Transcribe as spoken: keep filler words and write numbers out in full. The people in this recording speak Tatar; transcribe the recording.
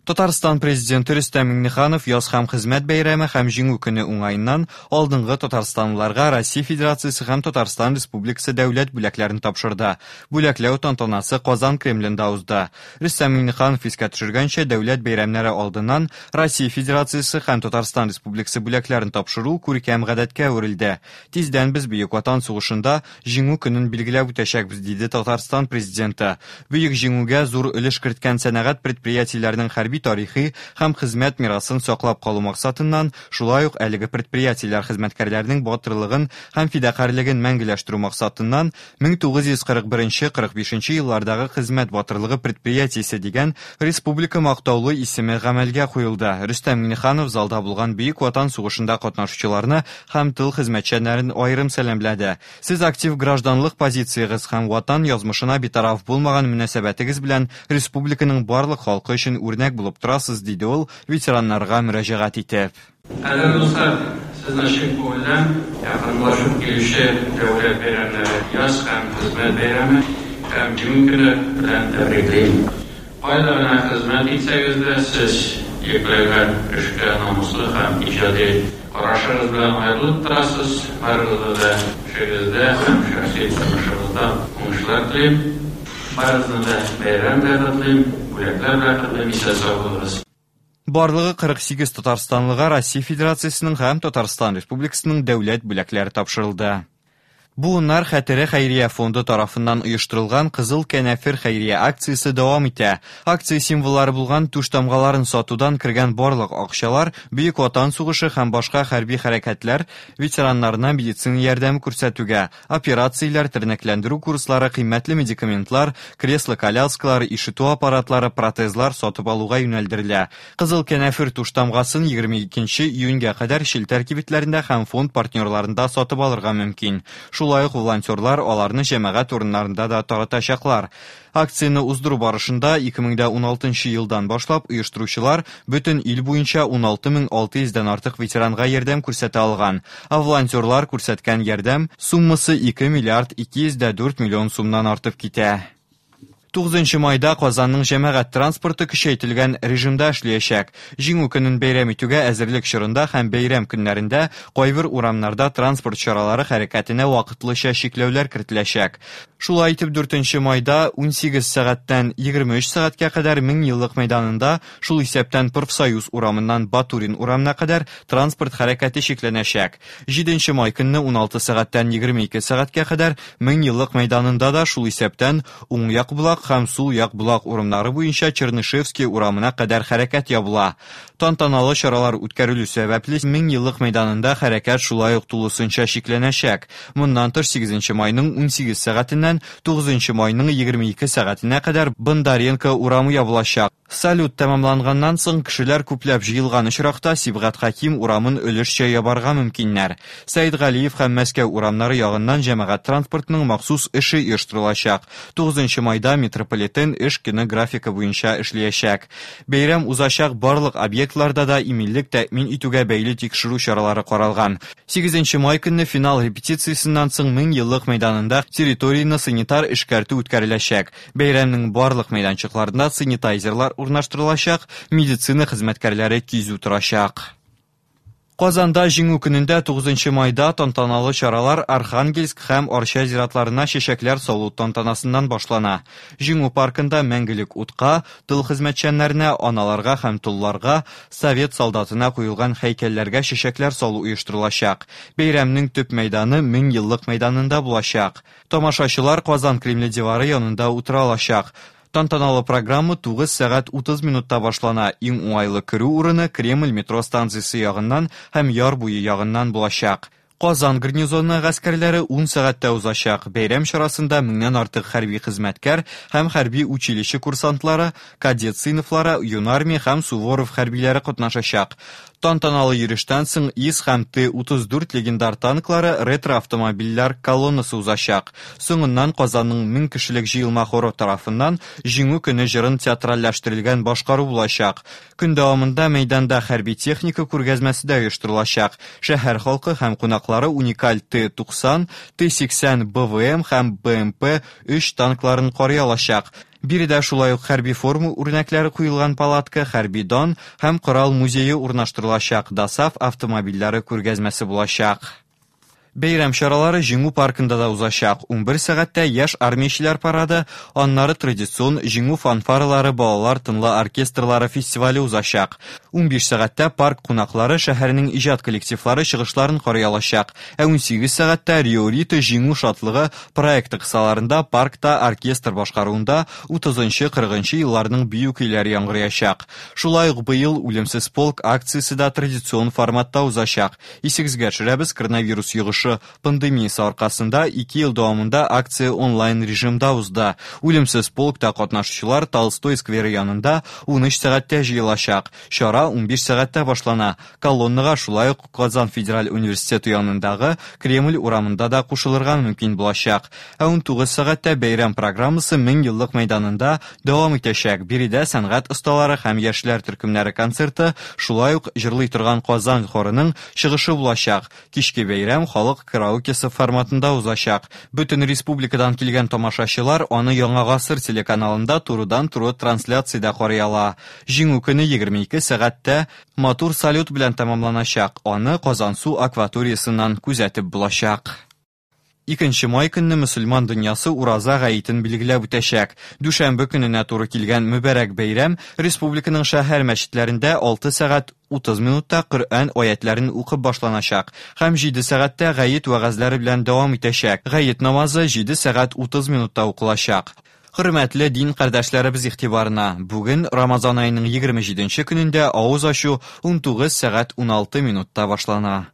Татарстан президенты Рөстәм Миңнеханов яз һәм хезмәт бәйрәме һәм Җиңү көне уңаеннан алдынгы татарстанлыларга Россия Федерациясе һәм Татарстан Республикасы дәүләт бүләкләрен тапшырды. Бүләкләү тантанасы Казан Кремлендә узды. Рөстәм Миңнеханов искә төшергәнчә, дәүләт бәйрәмнәре алдыннан Россия Федерациясе һәм Татарстан Республикасы бүләкләрен тапшыру күркәм гадәткә әверелде. Тиздән без Бөек Ватан сугышында Җиңү көнен билгеләп үтәчәкбез, диде Татарстан президенты. Бөек Җиңүгә зур өлеш керткән сәнәгать предприятиеләренең хәрби тарихи һәм хезмәт мирасын саклап калу максатыннан, шулай ук әлеге предприятиеләр хезмәткәрләренең батырлыгын һәм фидакарьлеген мәңгеләштерү максатыннан мең тугыз йөз кырык беренче кырык бишенче еллардагы хезмәт батырлыгы предприятиесе дигән республика мактаулы исеме гамәлгә куелды. Рөстәм Миңнеханов залда булган Бөек Ватан сугышында катнашучыларны һәм тыл хезмәтчәннәрен аерым сәламләде. Сез актив гражданлык позициягез һәм ватан язмышына битараф булмаган мөнәсәбәтегез белән республиканың барлык халкы өчен үрнәк булып торасыз, диде ул ветераннарга мөрәҗәгать итеп. Кадерле дуслар, сезне чын күңелдән якынлашып килүче дәүләт бәйрәмнәре, яз һәм хезмәт бәйрәме һәм Җиңү көне белән тәбриклим. Кайда гына хезмәт итсәгез дә, сез йөкләгән эшкә намуслы һәм иҗади карашыгыз белән аерылып торасыз. Барыгызга да эшегездә һәм шәхси тормышыгызда уңышлар телим. Барыгызны да бәйрәм белән котлыйм, бүләкләр белән котлыйм, исән-сау булыгыз. Барлыгы кырык сигез татарстанлыга Россия Федерациясенең һәм Татарстан Республикасының дәүләт бүләкләре тапшырылды. Буыннар хәтере хәйрия фонды тарафыннан оештырылган Кызыл кәнәфер хәйрия акциясе дәвам итә. Акция символлары булган түш тамгаларын сатудан кергән барлык акчалар Бөек Ватан сугышы һәм башка хәрби хәрәкәтләр ветераннарына медицина ярдәме күрсәтүгә, операцияләр, тернәкләндерү курслары, кыйммәтле медикаментлар, кресло-коляскалар, ишетү аппаратлары, протезлар сатып алуга юнәлдерелә. Кызыл кәнәфер түш тамгасын егерме икенче июньгә кадәр челтәр кибетләрендә һәм фонд партнерларында сатып алырга мөмкин. Шулай ук волонтерлар аларны җәмәгать урыннарында да таратачаклар. Акцияне уздыру барышында ике мең дә уналтынчы елдан башлап оештыручылар бөтен ил буенча уналты мең алты йөздән артык ветеранга ярдәм күрсәтә алган. Ә волонтерлар күрсәткән ярдәм суммасы ике миллиард ике йөз дә дүрт миллион сумнан артып китә. Тугызынчы майда Казанның җәмәгать транспорты көчәйтелгән режимда эшләячәк. Җиңү көнен бәйрәм итүгә әзерлек чорында һәм бәйрәм көннәрендә кайбер урамнарда транспорт чаралары хәрәкәтенә вакытлыча чикләүләр кертеләчәк. Шулай итеп, дүртенче майда унсигез сәгатьтән егерме өч сәгатькә кадәр Мең еллык мәйданында, шул исәптән Профсоюз урамыннан Батурин урамына кадәр транспорт хәрәкәте чикләнәчәк. Җиденче май көнне уналты сәгатьтән егерме ике сәгатькә кадәр Мең еллык мәйданында да шул исәптән уң як булак һәм сул як булак урамнары буенча Чернышевский урамына кадәр хәрәкәт ябыла. Тантаналы чаралар үткәрелү сәбәпле Мең еллык мәйданында хәрәкәт шулай ук тулысынча чикләнәчәк. Моннан тыш сигезенче майның унсигез сәгатеннән тугызынчы майның егерме ике сәгатенә кадәр Бондаренко урамы ябылачак. Салют тәмамланганнан соң кешеләр күпләп җыелган очракта Сибгат Хәким урамын өлешчә ябарга мөмкиннәр. Сәйд Галиев һәм Мәскәү урамнары ягыннан җәмәгать транспортының махсус эше оештырылачак. Тугызынчы майда метрополитен эш көне графикы буенча эшләячәк. Бәйрәм узачак барлык объектларда да иминлек тәэмин итүгә бәйле тикшерү чаралары каралган. Сигезенче май көнне финал репетициясеннән соң Мең еллык мәйданында территорияне санитар эшкәртү үткәреләчәк. Бәйрәмнең барлык мәйданчыкларында санитайзерлар урнаштырылачак, медицина хезмәткәрләре кизү торачак. Казанда Җиңү көнендә тугызынчы майда тантаналы чаралар Архангельск һәм Арча зиратларына чәчәкләр салу тантанасыннан башлана. Җиңү паркында мәңгелек утка, тыл хезмәтчәннәренә, аналарга һәм толларга, совет солдатына куелган һәйкәлләргә чәчәкләр салу оештырылачак. Бәйрәмнең төп мәйданы Мең еллык мәйданында булачак. Тамашачылар Казан Кремле дивары янында утыра алачак. Тантаналы программа тугыз сәгать утыз минутта башлана. Иң уңайлы керү урыны Кремль метро станциясе ягыннан һәм яр буе ягыннан булачак. Казан гарнизоны гаскәрләре ун сәгатьтә узачак. Бәйрәм чарасында меңнән артык хәрби хезмәткәр һәм хәрби училище курсантлары, кадет сыйныфлары, юнармия һәм Суворов хәрбиләре катнашачак. Тантаналы йөрештән соң ИС һәм Т утыз дүрт легендар танклары ретро-автомобильләр колоннасы узачак. Соңыннан Казанның мең кешелек җыелма хоры тарафыннан Җиңү көне җырын театральләштерелгән башкару булачак. Көн дәвамында мәйданда хәрби техника күргәзмәсе дә оештырылачак. Шәһәр халкы һәм кунаклары уникаль Т туксан, Т сиксән Б В М һәм Б М П өч танкларын карый алачак. Биредә шулай ук хәрби форма үрнәкләре куелган палатка, хәрби дан һәм корал музее урнаштырылачак, ДОСААФ автомобильләре күргәзмәсе булачак. Бәйрәм чаралары Җиңү паркында да узачак. Унбер сәгатьтә яшь армиячеләр парады, аннары традицион Җиңү фанфаралары балалар тынлы оркестрлары фестивале узачак. Унбиш сәгатьтә парк кунаклары шәһәрнең иҗат коллективлары чыгышларын карый алачак. Ә унсигез сәгатьтә Рио-Рита Җиңү шатлыгы проекты кысаларында паркта оркестр башкаруында утызынчы-кырыгынчы елларның бию көйләре яңгыраячак. Шулай ук быел Үлемсез полк акциясе дә традицион форматта узачак. Исегезгә төшерәбез, коронавирус йогышы пандемиясе аркасында ике ел дәвамында акция онлайн режимда узды. Үлемсез полкта катнашучылар Толстой скверы янында унөч сәгатьтә җыелачак. Чара унбиш сәгатьтә башлана. Колоннага шулай ук Казан федераль университеты янындагы Кремль урамында да кушылырга мөмкин булачак. Ә унтугыз сәгатьтә бәйрәм программасы мең еллык мәйданында дәвам итәчәк. Биредә сәнгать осталары һәм яшьләр төркемнәре концерты, шулай ук җырлый торган Казан хорының чыгышы булачак. Кичке бәйрәм халык караокесы форматында узачак. Бөтен республикадан килгән тамашачылар аны Яңа Гасыр телеканалында турыдан-туры трансляциядә карый ала. Җиңү көне егерме ике сәгатьтә матур салют белән тәмамланачак. Аны Казансу акваториясеннән күзәтеп булачак. Икенче май көнне мөселман дөньясы Ураза гаетен билгеләп үтәчәк. Дүшәмбе көненә туры килгән мөбарәк бәйрәм республиканың шәһәр мәчетләрендә алты сәгать утыз минутта Коръән аятларын укып башланачак һәм җиде сәгатьтә гает вәгазьләре белән дәвам итәчәк. Гает намазы җиде сәгать утыз минутта укылачак. Хөрмәтле дин кардәшләребез игътибарына, бүген Рамазан аеның егерме җиденче көнендә авыз ачу унтугыз сәгать уналты минутта башлана.